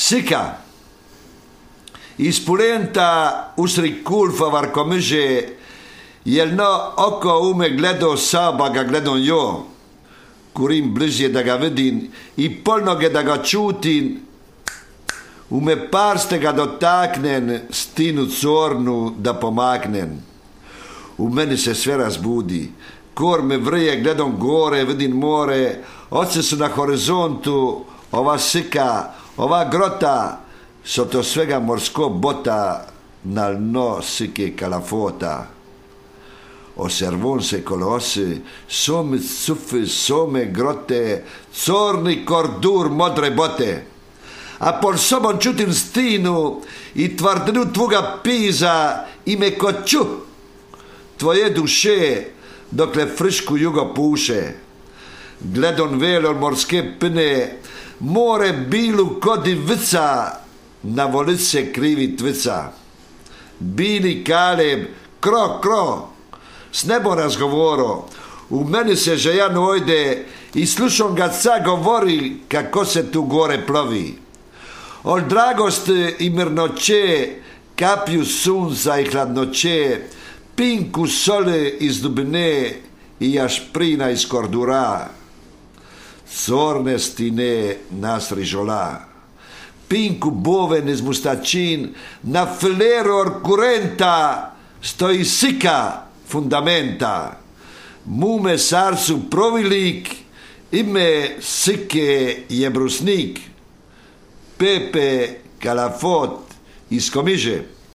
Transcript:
Sika. Ispulenta usri kulfa varkomyže, jelno oko ume gledo saba ga gledon jo, kurim bližje da ga vidim i polnoge da ga čutim, ume parste ga dotaknen, stinu cornu da pomaknen. U meni se sve razbudi, kor me vrije, gledam gore, vidim more, oce su na horizontu, ova sika, ova grota, sotto svega morsko bota, nal no sike calafota. Osservon se colosse, some zuffe, some grotte, corni cordur modre bote. A por sobom čutim stinu i tvrdinu tvoga piza i me koću tvoje duše dokle frišku jugo puše. Gledon velon morske pne, more bilu kodi vica, na volice krivi tvica. Bili Kaleb, kro, s nebo razgovoro, u meni se žejan ojde i slušam ga ca govori kako se tu gore plovi. Ol dragost i mirnoće, kapju sunca i hladnoće, pinku sole iz dubine i jašprina iz kordura. Corne stine nas rižola. Pinku boven iz mustačin, na filero orkurenta stoji sika fundamenta. Mume sarcu provilik, ime sike je brusnik. Pepe Calafot iz Komiže.